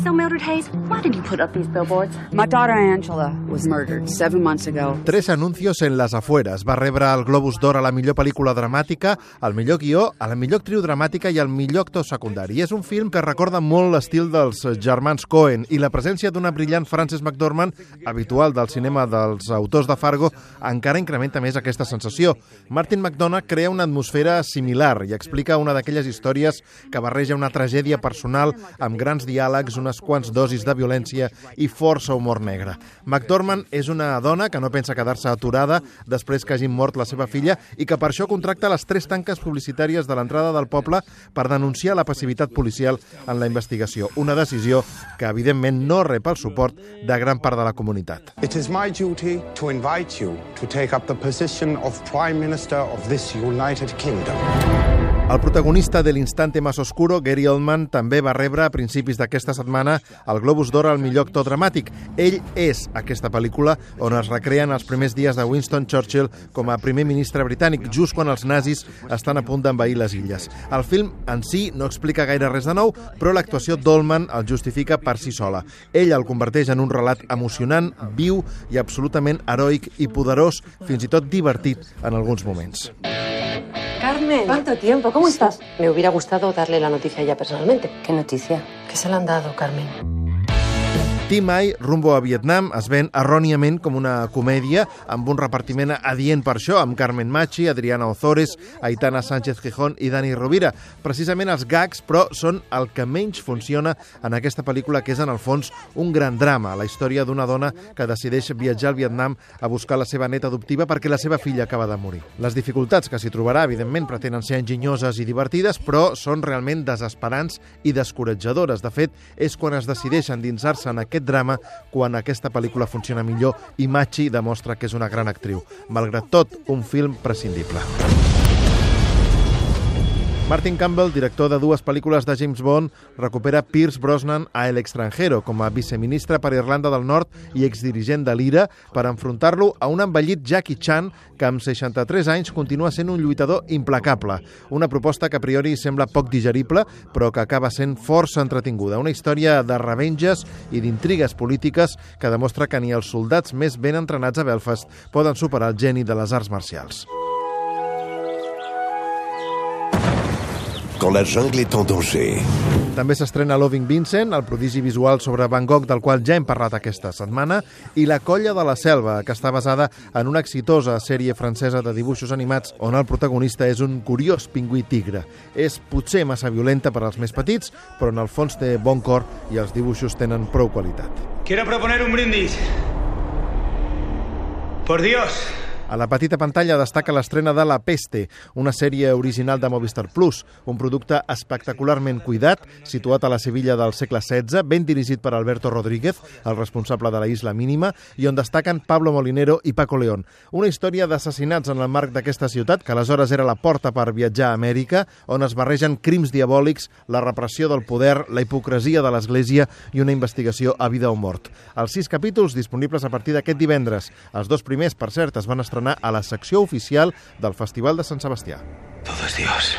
so, Mildred Hayes? Why did you put up these billboards? My daughter Angela was murdered 7 months ago. 3 anuncios en les afueres. Va rebre el Globus d'Or a la millor pel·lícula dramàtica, al millor guió, a la millor actriu dramàtica i al millor actor secundari. És un film que recorda molt l'estil dels germans Coen i la presència d'una brillant Frances McDormand, habitual del cinema dels autors de Fargo, encara incrementa més aquesta sensació. Martin McDonagh crea una atmosfera similar i explica una d'aquelles històries que barreja una tragèdia personal amb grans diàlegs, unes quants dosis de violència i força humor negre. McDormand és una dona que no pensa quedar-se aturada després que hagi mort la seva filla i que per això contracta les 3 tanques publicitàries de l'entrada del poble per denunciar la passivitat policial en la investigació. Una decisió que, evidentment, no rep el suport de gran part de la comunitat. It is my duty to invite you to take up the position of Prime Minister of this United Kingdom. El protagonista de l'Instante más oscuro, Gary Oldman, també va rebre a principis d'aquesta setmana el Globus d'Or al millor actor dramàtic. Ell és aquesta pel·lícula on es recreen els primers dies de Winston Churchill com a primer ministre britànic, just quan els nazis estan a punt d'envair les illes. El film en si no explica gaire res de nou, però l'actuació d'Oldman el justifica per si sola. Ell el converteix en un relat emocionant, viu i absolutament heroic i poderós, fins i tot divertit en alguns moments. Carmen, ¿cuánto tiempo? ¿Cómo estás? Me hubiera gustado darle la noticia ya personalmente. ¿Qué noticia? Que se la han dado, Carmen. Tim Ai, Rumbo a Vietnam, es ven erròniament com una comèdia amb un repartiment adient per això, amb Carmen Machi, Adriana Ozores, Aitana Sánchez Gijón i Dani Rovira. Precisament els gags, però, són el que menys funciona en aquesta pel·lícula, que és, en el fons, un gran drama, la història d'una dona que decideix viatjar al Vietnam a buscar la seva neta adoptiva perquè la seva filla acaba de morir. Les dificultats que s'hi trobarà, evidentment, pretenen ser enginyoses i divertides, però són realment desesperants i descoratjadores. De fet, és quan es decideix endinsar-se en aquest drama quan aquesta pel·lícula funciona millor i Machi demostra que és una gran actriu. Malgrat tot, un film prescindible. Martin Campbell, director de 2 pel·lícules de James Bond, recupera Pierce Brosnan a El extranjero com a viceministre per Irlanda del Nord i exdirigent de l'IRA per enfrontar-lo a un envellit Jackie Chan que amb 63 anys continua sent un lluitador implacable. Una proposta que a priori sembla poc digerible, però que acaba sent força entretinguda. Una història de revenges i d'intrigues polítiques que demostra que ni els soldats més ben entrenats a Belfast poden superar el geni de les arts marcials. Quand la jungle est en danger. També s'estrena Loving Vincent, el prodigi visual sobre Van Gogh del qual ja hem parlat aquesta setmana, i La colla de la selva, que està basada en una exitosa sèrie francesa de dibuixos animats on el protagonista és un curiós pingüí tigre. És potser massa violenta per als més petits, però en el fons té bon cor i els dibuixos tenen prou qualitat. Quiero proponer un brindis. Por Dios. A la petita pantalla destaca l'estrena de La peste, una sèrie original de Movistar Plus, un producte espectacularment cuidat, situat a la Sevilla del segle XVI, ben dirigit per Alberto Rodríguez, el responsable de la Isla Mínima, i on destaquen Pablo Molinero i Paco León. Una història d'assassinats en el marc d'aquesta ciutat, que aleshores era la porta per viatjar a Amèrica, on es barregen crims diabòlics, la repressió del poder, la hipocresia de l'Església i una investigació a vida o mort. Els 6 capítols disponibles a partir d'aquest divendres. Els 2 primers, per cert, es van estrenar a la secció oficial del Festival de Sant Sebastià. Todo es Dios.